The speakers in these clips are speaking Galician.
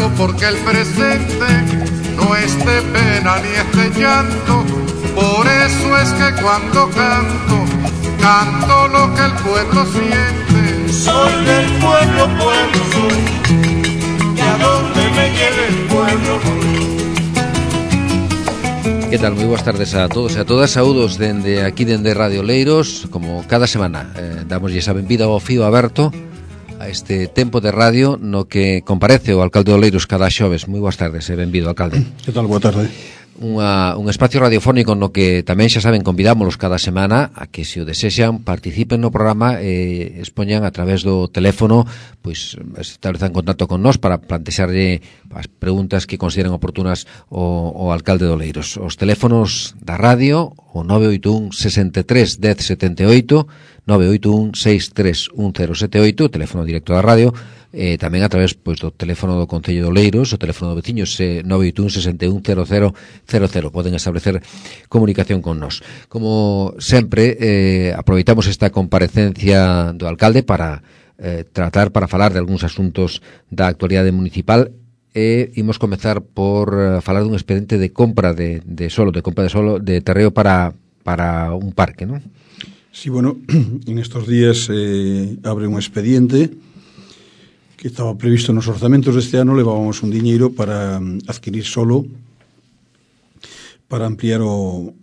canto porque el presente no es de pena ni es de llanto. Por eso es que cuando canto, canto lo que el pueblo siente. Soy del pueblo, pueblo soy, y a donde me lleve el pueblo voy. Que tal? Moi boas tardes a todos e a todas. Saúdos dende aquí, dende Radio Oleiros. Como cada semana damoslle a benvida ao fío aberto a este tempo de radio no que comparece o alcalde de Oleiros cada xoves. Moi boas tardes e benvido, alcalde. Que tal? Boa tarde. Un espacio radiofónico no que tamén xa saben convidámolos cada semana a que se o desexan participen no programa e expoñan a través do teléfono, pois establezan contacto con nós para plantexarlle as preguntas que consideren oportunas o alcalde de Oleiros. Os teléfonos da radio, o 981 63 10 78, 981 63 1078, o teléfono directo da radio, tamén a través pois do teléfono do Concello de Oleiros, o teléfono do veciños 981 61 0000. Poden establecer comunicación con nós. Como sempre, aproveitamos esta comparecencia do alcalde para para falar de algúns asuntos da actualidade municipal. Imos comezar por falar dun expediente de compra de solo, de terreo para un parque, non? Sí, bueno, en estos días abre un expediente que estaba previsto nos orzamentos deste ano. Levábamos un diñeiro para adquirir solo para ampliar o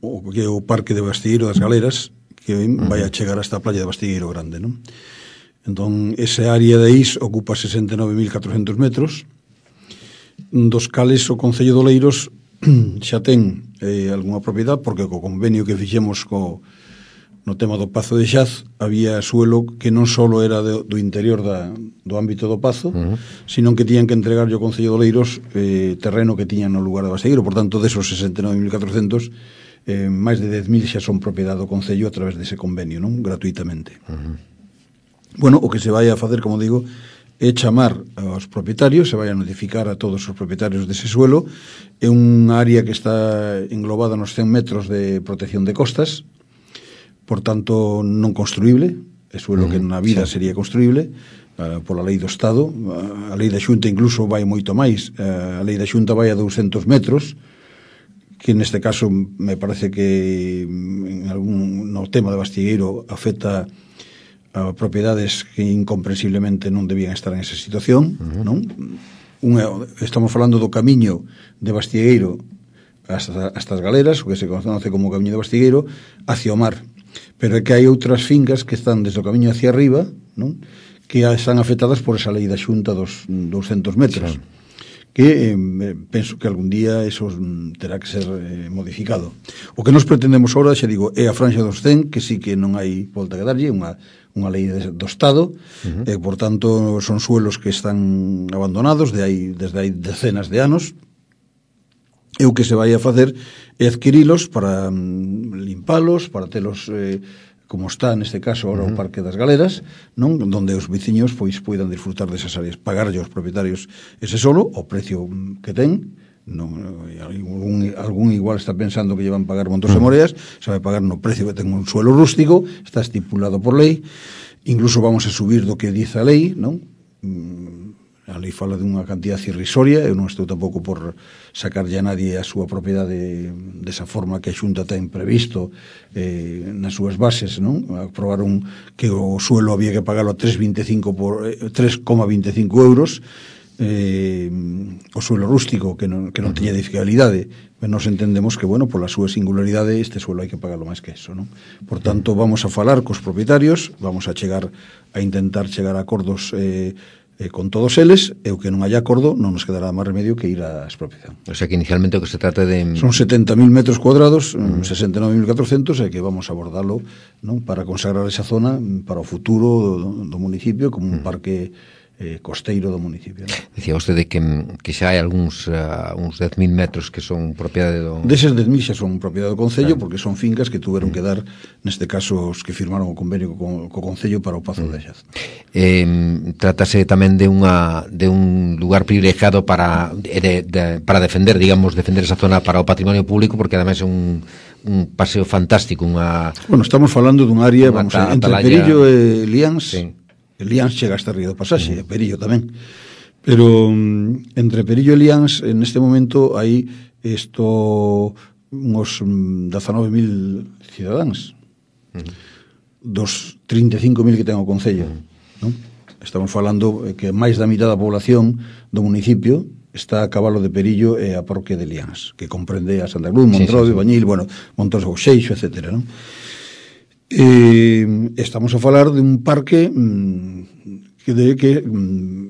parque de Bastilleiro das Galeras, que vai a chegar hasta a playa de Bastilleiro Grande, non? Entón, esa área de Is ocupa 69.400 metros, dos cales o Concello de Oleiros xa ten algunha propiedade, porque co convenio que fixemos no tema do Pazo de Xaz había suelo que non só era do interior do ámbito do Pazo, sino que tiñan que entregarlle ao Concello de Oleiros terreno que tiñan no lugar de Bastilleiro. Por tanto, desos 69.400, máis de 10.000 xa son propiedade do Concello a través dese convenio, non? Gratuitamente. Bueno, o que se vai a facer, como digo, é chamar aos propietarios, se vai a notificar a todos os propietarios dese suelo. É unha área que está englobada nos 100 metros de protección de costas, por tanto non construíble, é suelo que na vida sería construíble pola lei do Estado. A lei da Xunta incluso vai moito máis, a lei da Xunta vai a 200 metros, que neste caso me parece que no tema de Bastilleiro afecta a propiedades que incomprensiblemente non debían estar en esa situación, non? Estamos falando do camiño de Bastilleiro hasta as Galeras, o que se conoce como camiño de Bastilleiro, hacia o mar. Pero é que hai outras fincas que están desde o camiño hacia arriba, non? Que están afectadas por esa lei da Xunta dos 200 metros. Claro. Que penso que algún día eso terá que ser modificado. O que nos pretendemos ahora, xa digo, é a franxa dos 100, que sí que non hai volta que darlle, unha lei do Estado, e por tanto son suelos que están abandonados desde hai decenas de anos. E o que se vai a facer é adquirilos para limpalos, para telos como está neste caso ahora o Parque das Galeras, non? Donde os veciños pois poidan disfrutar desas áreas, pagarlle aos propietarios ese solo o precio que ten. Non, algún igual está pensando que llevan pagar montos de moreas, sabe pagar no precio que ten un suelo rústico, está estipulado por lei. Incluso vamos a subir do que dice a lei, non? A lei fala dunha cantidad irrisoria. Eu non estou tampouco por sacarlle a nadie a súa propiedade desa forma que a Xunta ten previsto nas súas bases, non? Aprobaron que o suelo había que pagalo a 3,25 euros, o suelo rústico que non tiña edificabilidade. Nos entendemos que, bueno, pola súa singularidade este suelo hai que pagarlo máis que eso, non? Por tanto, vamos a falar cos propietarios, vamos a intentar chegar a acordos con todos eles, e o que non hai acordo non nos quedará máis remedio que ir á expropiación. O sea que inicialmente o que se trata de... Son 70.000 metros cuadrados, 69.400, e que vamos a abordalo, non, para consagrar esa zona para o futuro do municipio como un parque costeiro do municipio, ¿no? Dicía vostede que xa hai uns 10.000 metros que son propiedade do... Deses 10.000 xa son propiedade do Concello, porque son fincas que tuveron que dar, neste caso, os que firmaron o convenio co Concello para o Pazo de Xaz. Trátase tamén de un lugar privilegiado para defender esa zona para o patrimonio público, porque ademais é un paseo fantástico, Bueno, estamos falando dun área, entre Perillo e Lians. Sí. Lians chega hasta Río do Pasaxe, e Perillo tamén. Pero entre Perillo e Liáns, en este momento, hai uns 19.000 cidadáns dos 35.000 que ten o Concello, non? Estamos falando que máis da mitad da población do municipio está a cabalo de Perillo e a parroquia de Liáns, que comprende a Santa Cruz, Montrode, Bañil, bueno, Montes do Xeixo, etc., non? Estamos a falar de un parque que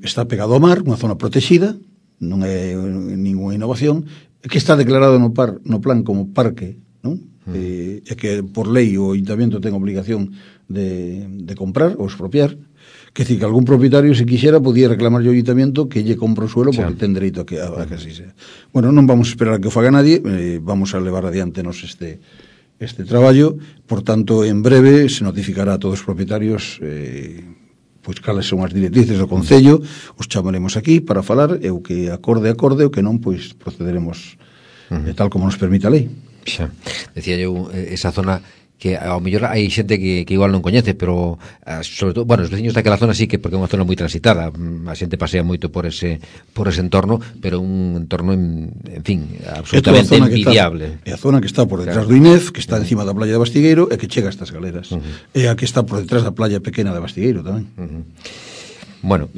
está pegado ao mar, unha zona protegida, non é ninguna innovación, que está declarado no plan como parque, non? E que por lei o Ayuntamiento ten obligación de comprar ou expropiar, que decir que algún propietario, se quixera, podía reclamar ao Ayuntamiento que lle compra o suelo porque ten dereito a que así sea. Bueno, non vamos a esperar a que o faga nadie, vamos a levar adiante este traballo, por tanto, en breve se notificará a todos os propietarios pois cales son as directrices do Concello, os chamaremos aquí para falar, e o que acorde, o que non, pois procederemos tal como nos permite a lei. Xa, decía eu, esa zona que ao mellor hai xente que igual non coñece, pero sobre todo, bueno, os veciños daquela zona sí que, porque é unha zona moi transitada, a xente pasea moito por ese entorno, pero un entorno en fin, absolutamente envidiable. É a zona que está por detrás do INEF, que está encima da playa de Bastigueiro e que chega a estas galeras. É a que está por detrás da playa pequena de Bastigueiro tamén. Bueno,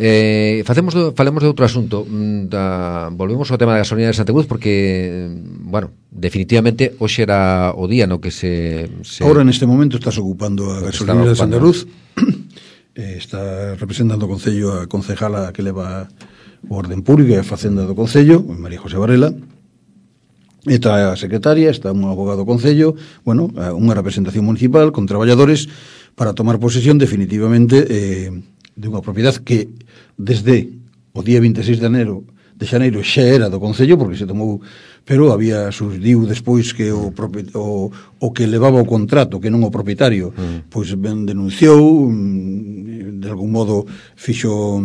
falemos de outro asunto. Volvemos ao tema da gasolina de Santa Cruz, porque, bueno, definitivamente hoxe era o día no que se... Ahora, neste momento, estás ocupando a gasolina de Santa Cruz. Está representando o Concello a concejala que leva o Orden Público e a Facenda do Concello, María José Varela. Está a secretaria, está un abogado do Concello, bueno, unha representación municipal con traballadores para tomar posesión definitivamente de unha propiedade que desde o día 26 de xaneiro xa era do Concello, porque se tomou, pero había surdiu despois que o que levaba o contrato, que non o propietario, pois ben denunciou, de algún modo fixo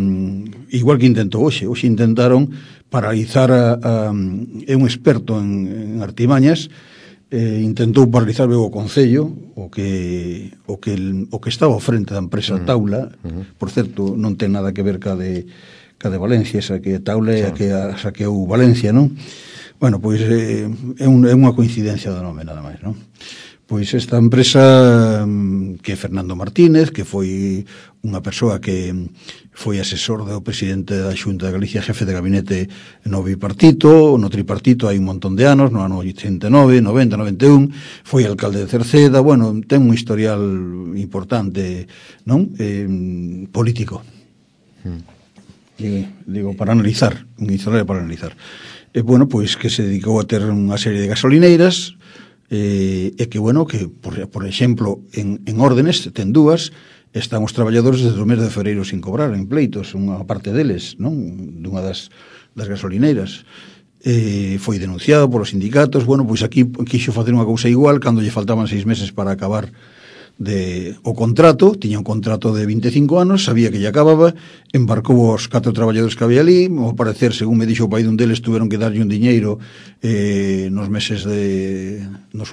igual que intentou hoxe intentaron paralizar é un experto en artimañas, intentou paralizar o Concello, o que estaba ao frente da empresa Taula, por certo, non ten nada que ver ca de Valencia, esa que Taula é a que saqueou Valencia, non? Bueno, pois é unha coincidencia do nome, nada máis, non? Pois esta empresa que é Fernando Martínez, que foi unha persoa que foi asesor do presidente da Xunta de Galicia, jefe de gabinete no bipartito, no tripartito hai un montón de anos, no ano 89, 90, 91, foi alcalde de Cerceda, bueno, ten un historial importante, non? Político. Digo, para analizar, un historial para analizar. Bueno, pois que se dedicou a ter unha serie de gasolineiras, e que, bueno, que, por exemplo, en Órdenes, ten dúas, están os traballadores desde o mes de febreiro sin cobrar, en pleitos, unha parte deles, non? Dunha das gasolineiras. Foi denunciado polos sindicatos, bueno, pois aquí quixo facer unha cousa igual, cando lle faltaban 6 meses para acabar o contrato, tiña un contrato de 25 anos, sabía que lle acababa, embarcou os 4 traballadores que había ali, ao parecer, según me dixo o pai dun deles, tuveron que darlle un diñeiro nos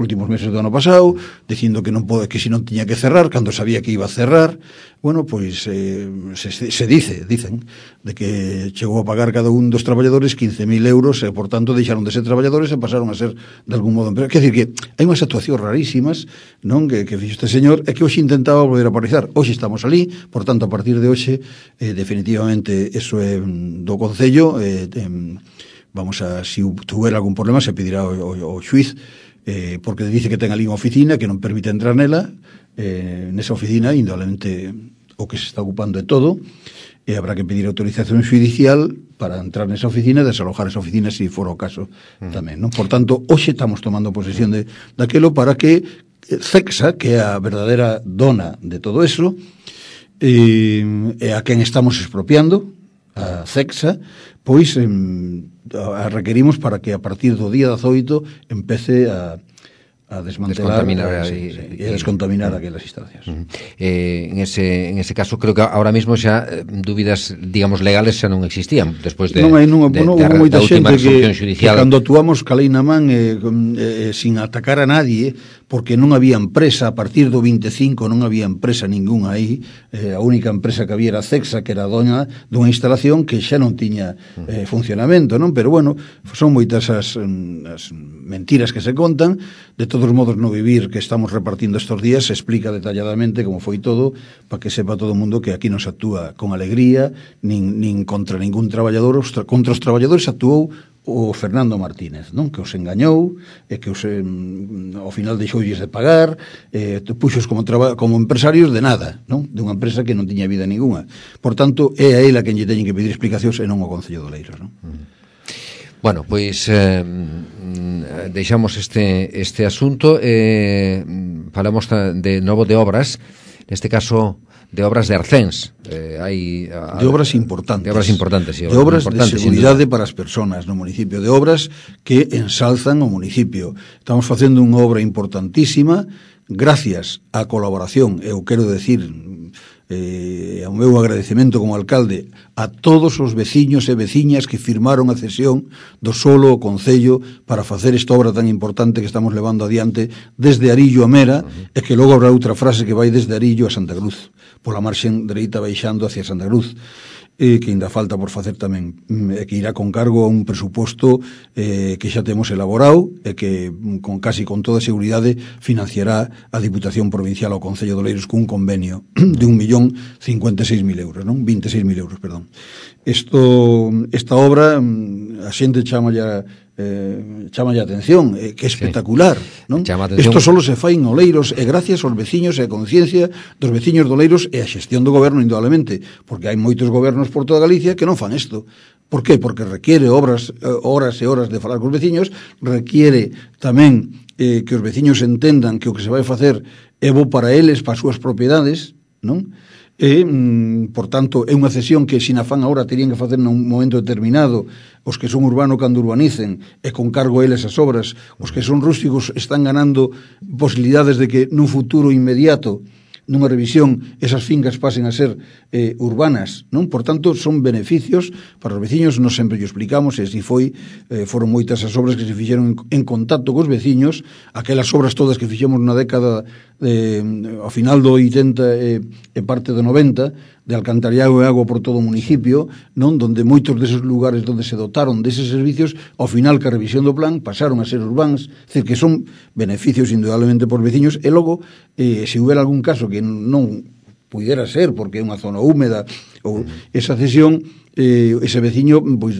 últimos meses do ano pasado, dicindo que que se non tiña que cerrar, cando sabía que iba a cerrar. Bueno, pois dicen de que chegou a pagar cada un dos traballadores 15.000 euros e, por tanto, deixaron de ser traballadores e pasaron a ser, de algún modo, empresa. Quer dizer que hai unhas actuacións rarísimas, non, que fixo este señor, e que hoxe intentaba volver a paralizar. Hoxe estamos ali, por tanto, a partir de hoxe, definitivamente, eso é do Concello, vamos a, se tuver algún problema, se pedirá ao xuiz, porque dice que ten ali unha oficina que non permite entrar nela, nesa oficina, indudablemente, o que se está ocupando de todo, e habrá que pedir autorización judicial para entrar nesa oficina e desalojar esa oficina se fora o caso tamén, non? Por tanto, hoxe estamos tomando posesión daquelo para que CECSA, que é a verdadeira dona de todo eso, e a quen estamos expropiando, a CECSA, pois a requerimos para que a partir do día 18 empece a a desmantelar e a descontaminar aquelas instalacións. En ese caso creo que ahora mismo xa dúbidas, digamos, legales xa non existían despois de houve moita xente que cando actuamos calei na man sin atacar a nadie, porque non había empresa a partir do 25, non había empresa ninguna aí, a única empresa que había era Cexa, que era doña dunha instalación que xa non tiña funcionamento, non? Pero bueno, son moitas as mentiras que se contan. De todos modos, no vivir que estamos repartindo estos días se explica detalladamente como foi todo, para que sepa todo o mundo que aquí non se actúa con alegría nin contra ningún traballador. Contra os traballadores actuou o Fernando Martínez, non? Que os engañou e que ao final deixoulles de pagar, puxos como empresarios de nada, non? De unha empresa que non tiña vida ninguna. Por tanto, é a ela quen lle teñen que pedir explicacións e non o Concello de Oleiros, non? Bueno, pois deixamos este asunto, falamos de novo de obras, neste caso de obras de Arcens, de obras importantes, sí, de obras de seguridade para as persoas no municipio, de obras que ensalzan o municipio. Estamos facendo unha obra importantísima gracias á colaboración, eu quero decir o meu agradecemento como alcalde a todos os veciños e veciñas que firmaron a cesión do solo ao Concello para facer esta obra tan importante que estamos levando adiante desde Arillo a Mera, e que logo habrá outra frase que vai desde Arillo a Santa Cruz, pola marxen dereita baixando hacia Santa Cruz, que ainda falta por facer tamén, que irá con cargo a un presuposto que xa temos elaborado e que casi con toda seguridade financiará a Diputación Provincial ao Concello de Oleiros cun convenio de 1.056.000 euros, non? 26.000 euros, perdón. Esta obra a xente chama a atención, que é espectacular, non? Isto solo se fai en Oleiros e gracias aos veciños e a conciencia dos veciños de Oleiros e a xestión do goberno, indudablemente, porque hai moitos gobernos por toda Galicia que non fan isto. Por qué? Porque requiere horas e horas de falar cos veciños, requiere tamén que os veciños entendan que o que se vai facer é bo para eles, para as súas propiedades, non? E, por tanto, é unha cesión que sin afán agora terían que facer nun momento determinado os que son urbanos cando urbanicen e con cargo a eles as obras. Os que son rústicos están ganando posibilidades de que nun futuro inmediato, nunha revisión, esas fincas pasen a ser urbanas, non? Por tanto, son beneficios para os veciños, nos sempre o explicamos, e así foron moitas as obras que se fixeron en contacto cos veciños, aquelas obras todas que fixemos na década ao final do 80 e parte do 90, de alcantarillado e agua por todo o municipio, non? Donde moitos deses lugares donde se dotaron deses servicios, ao final que a revisión do plan pasaron a ser urbans, é dicir, que son beneficios indudablemente por veciños, e logo, se houbera algún caso que non pudera ser, porque é unha zona húmeda, ou esa cesión, ese veciño, pois,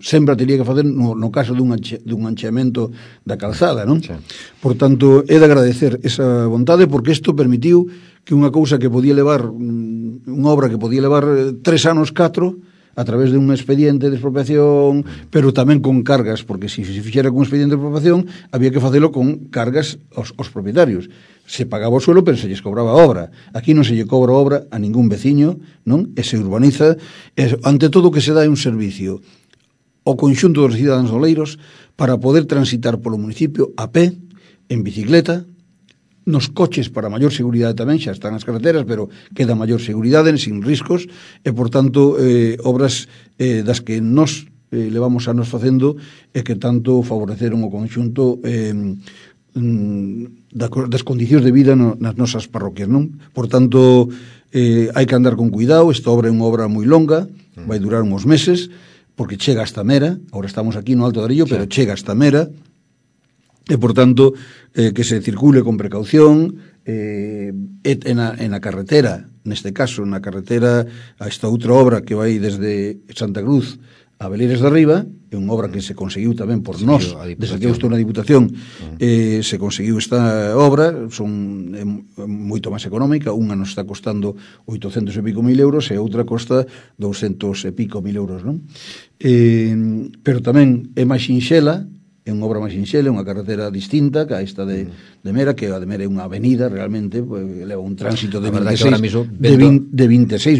sempre teria que facer no caso dun ancheamento da calzada, non? Sí. Por tanto, é de agradecer esa vontade, porque isto permitiu que unha cousa que podía levar, unha obra que podía levar 3 anos, 4, a través de un expediente de expropiación, pero tamén con cargas, porque se fixera con un expediente de expropiación, había que facelo con cargas aos propietarios. Se pagaba o suelo, pero se lles cobraba a obra. Aquí non se lle cobra obra a ningún veciño, non? E se urbaniza, ante todo que se dá un servicio ao conxunto dos cidadáns de Oleiros para poder transitar polo municipio a pé, en bicicleta, nos coches para maior seguridade tamén, xa están as carreteras, pero queda maior seguridade, sin riscos, e, por tanto, obras das que nos levamos anos facendo e que tanto favoreceron o conxunto das condicións de vida nas nosas parroquias, non? Por tanto, hai que andar con cuidado. Esta obra é unha obra moi longa, vai durar uns meses, porque chega hasta Mera, agora estamos aquí no Alto de Arillo, pero chega hasta Mera, e, por tanto, que se circule con precaución, en a carretera, neste caso, na carretera a esta outra obra que vai desde Santa Cruz a Belires de Arriba, é unha obra que se conseguiu tamén por nós, desde que eu estou na Diputación, se conseguiu esta obra, é moito máis económica, unha nos está costando 800 e pico mil euros e outra costa 200 e pico mil euros, non? Pero tamén é máis sinxela, é unha obra máis sinxela, unha carretera distinta que a esta de Mera, que a de Mera é unha avenida realmente, pues, leva un tránsito de 26.000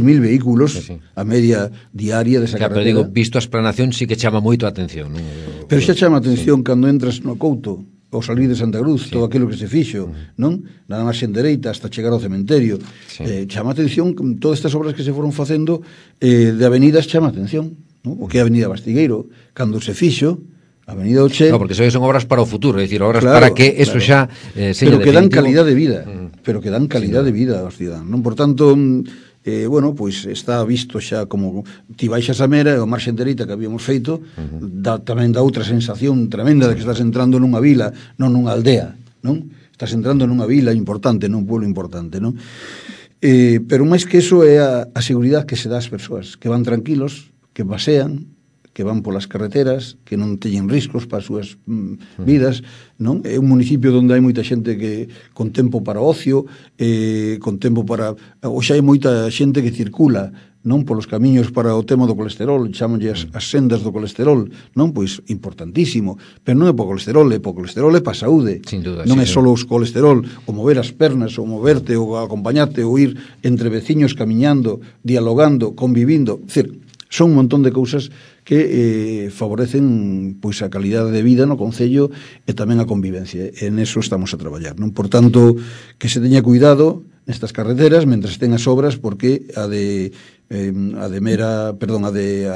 vehículos, sí. A media diaria desa carretera. Pero digo, visto a explanación, sí que chama moito a atención, non? Pero xa chama a atención cando entras no Couto ao salir de Santa Cruz, todo aquilo que se fixo, non? Nada máis en dereita hasta chegar ao cementerio. Chama a atención todas estas obras que se foron facendo de avenidas, chama a atención, non? O que é a Avenida Bastigueiro, cando se fixo a Avenida Oche... No, porque son obras para o futuro, é dicir, obras para que eso xa pero que dan calidad de vida, pero que dan calidad de vida aos ciudadanos, non? Por tanto, bueno, pois está visto xa como ti baixas a Mera e o marxen dereita que habíamos feito, tamén dá outra sensación tremenda de que estás entrando nunha vila, non nunha aldea, non? Estás entrando nunha vila importante, nun pueblo importante, non? Pero máis que eso é a seguridade que se dá ás persoas, que van tranquilos, que pasean, que van polas carreteras, que non teñen riscos para as súas vidas, non? É un municipio onde hai moita xente que con tempo para ocio, con tempo para... Ou xa hai moita xente que circula, non? Polos camiños para o tema do colesterol, chamanlle as sendas do colesterol, non? Pois importantísimo, pero non é para o colesterol, é para o colesterol, é para a saúde. Sin duda, non é só o colesterol, o mover as pernas, o moverte, o acompañarte, o ir entre veciños camiñando, dialogando, convivindo, decir, son un montón de cousas que favorecen pois a calidade de vida no concello e tamén a convivencia. En eso estamos a traballar, non? Por tanto, que se teña cuidado nestas carreteras mentres estén as obras, porque a de Mera, perdón, a de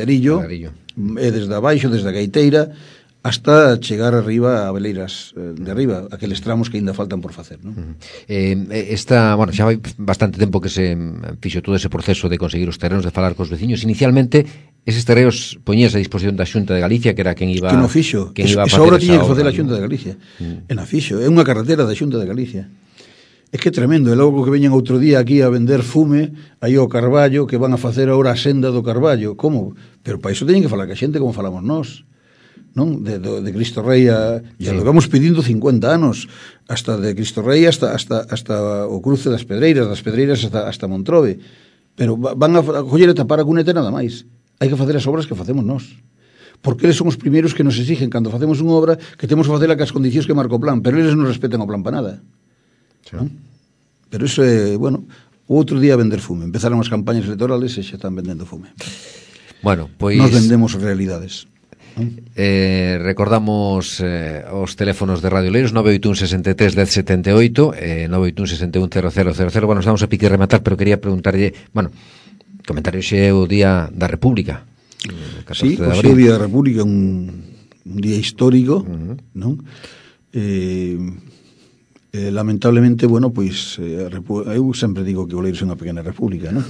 Arillo é desde abaixo, desde a Gaiteira hasta chegar arriba a Veleiras de arriba, aqueles tramos que ainda faltan por facer, non? Bueno, xa vai bastante tempo que se fixo todo ese proceso de conseguir os terrenos, de falar cos veciños. Inicialmente, eses terreos poñías a disposición da Xunta de Galicia, que era quen iba... Que non fixo, esa obra tiña que facer a Xunta de Galicia. E non fixo, é unha carretera da Xunta de Galicia. É que é tremendo, e logo que veñen outro día aquí a vender fume aí ao Carballo, que van a facer agora a senda do Carballo. Como? Pero para iso teñen que falar que a xente como falamos nós, non? De Cristo Rei ya lo vamos pedindo 50 anos, hasta de Cristo Rei hasta o cruce das Pedreiras hasta Montrobe, pero van a coller e tapar a cuneta nada máis. Hai que facer as obras que facemos nós, porque eles son os primeiros que nos exigen cando facemos unha obra que temos que facela que as condicións que marca o plan, pero eles non respetan o plan para nada, non? Pero iso é, bueno, o outro día vender fume, empezaron as campañas electorales e xa están vendendo fume. Bueno, pois nos vendemos realidades. Recordamos os teléfonos de Radio Oleiros 981 63 1078 981 61 0000. Bueno, estamos a pique de rematar, pero quería preguntarlle, bueno, comentario xe o Día da República, sí, o Día da República, un día histórico, non? Lamentablemente, bueno, pois eu sempre digo que Oleiros é unha pequena república, non?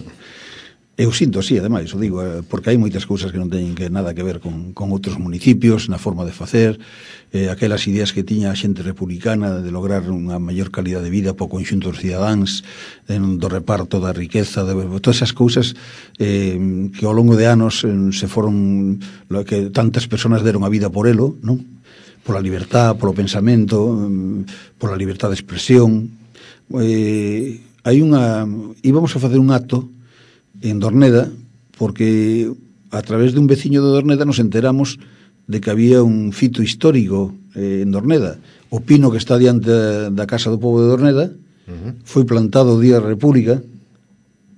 Eu sinto así, ademais, o digo, porque hai moitas cousas que non teñen nada que ver con outros municipios, na forma de facer, aquelas ideas que tiña a xente republicana de lograr unha maior calidad de vida para o conxunto dos cidadáns, do reparto da riqueza, de todas esas cousas que ao longo de anos se foron, que tantas persoas deron a vida por elo, non? Pola libertad, polo pensamento, pola libertad de expresión. Íbamos a facer un acto en Dorneda, porque a través de un veciño de Dorneda nos enteramos de que había un fito histórico en Dorneda. O pino que está diante da Casa do Pobo de Dorneda foi plantado o Día da República,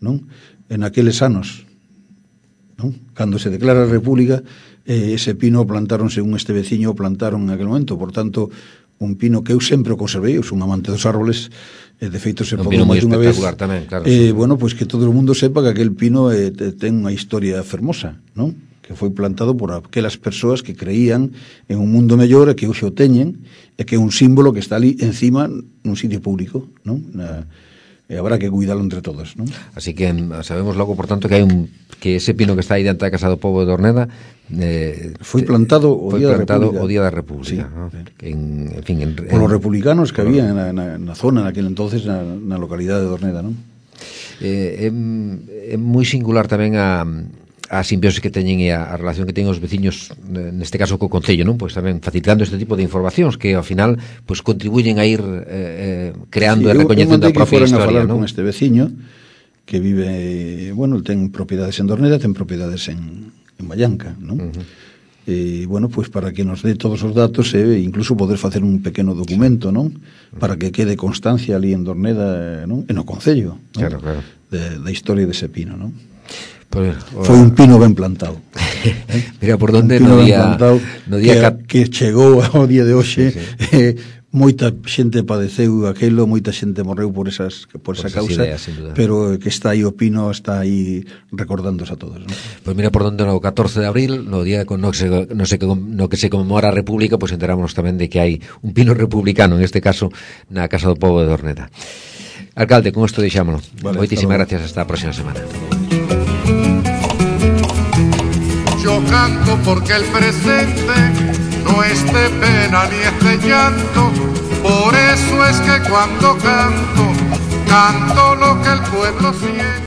non? En aqueles anos, non? Cando se declara a República, ese pino plantaron, según este veciño, plantaron en aquel momento. Por tanto, un pino que eu sempre o conservei, eu son amante dos árboles, de feito se pagou máis unha vez tamén, claro, bueno, pois que todo o mundo sepa que aquel pino ten unha historia fermosa, non? Que foi plantado por aquelas persoas que creían en un mundo mellor e que hoxe o teñen, e que é un símbolo que está ali encima nun sitio público, non? E habrá que cuidarlo entre todos, non? Así que sabemos logo, por tanto, que hai que ese pino que está aí diante da Casa do Pobo de Dorneda foi plantado o Día da República, sí, ¿no? En fin, por os republicanos que había na zona naquele entonces, na localidade de Dorneda, non? É moi singular tamén a simbiose que teñen e a relación que teñen os veciños, neste caso co Concello, non? Pois tamén facilitando este tipo de informacións que ao final pois contribuyen a ir creando e recoñecendo a propia historia, non? Con este veciño que vive, bueno, el ten propiedades en Dorneda, ten propiedades en Vallanca, non? E, bueno, pois para que nos dé todos os datos e incluso poder facer un pequeno documento, non? Para que quede constancia ali en Dorneda, non? En o Concello, non? Claro. Da historia dese pino, non? Pues, foi un pino ben plantado. Mira por donde un pino no ben día plantado que chegou ao día de hoxe. Moita xente padeceu aquelo, moita xente morreu por esa causa, ideas, pero que está aí o pino, está aí recordándose a todos, ¿no? Pues mira por donde no 14 de abril, no día no que se conmemora a República, pues enterámonos tamén de que hai un pino republicano, en este caso na Casa do Pobo de Dorneta. Alcalde, con isto deixámoslo. Vale, moitísimas gracias, hasta a próxima semana. Yo canto porque el presente no es de pena ni es de llanto, por eso es que cuando canto, canto lo que el pueblo siente.